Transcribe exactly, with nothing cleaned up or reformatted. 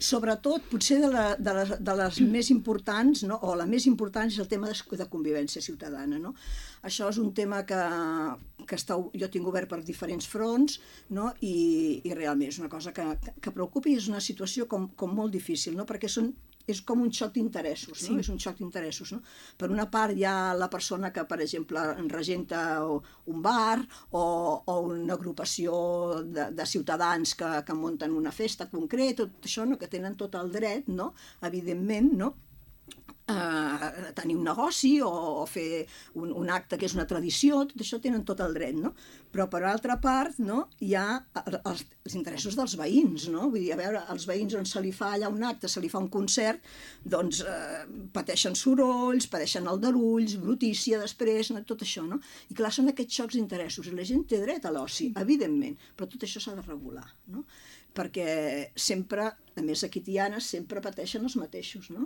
sobretot, potser de, la, de, les, de les més importants, no? O la més important és el tema de, de convivència ciutadana, no? Això és un tema que, que està, jo tinc obert per diferents fronts, no? I, i realment és una cosa que, que preocupa i és una situació com, com molt difícil, no? Perquè són, és com un xoc d'interessos, no? Sí. És un xoc d'interessos, no? Per una part hi ha la persona que, per exemple, regenta un bar o, o una agrupació de, de ciutadans que, que munten una festa concreta, tot això, no? Que tenen tot el dret, no? Evidentment, no? Uh, tenir un negoci o, o fer un, un acte que és una tradició, tot això tenen tot el dret, no? Però per altra part, no, hi ha els, els interessos dels veïns, no? Vull dir, a veure, els veïns on se li fa allà un acte, se li fa un concert, doncs eh, pateixen sorolls, pateixen aldarulls, brutícia després, no? Tot això, no? I clar, són aquests xocs d'interessos, i la gent té dret a l'oci, evidentment, però tot això s'ha de regular, no? Perquè sempre, a més aquí Tiana, sempre pateixen els mateixos, no?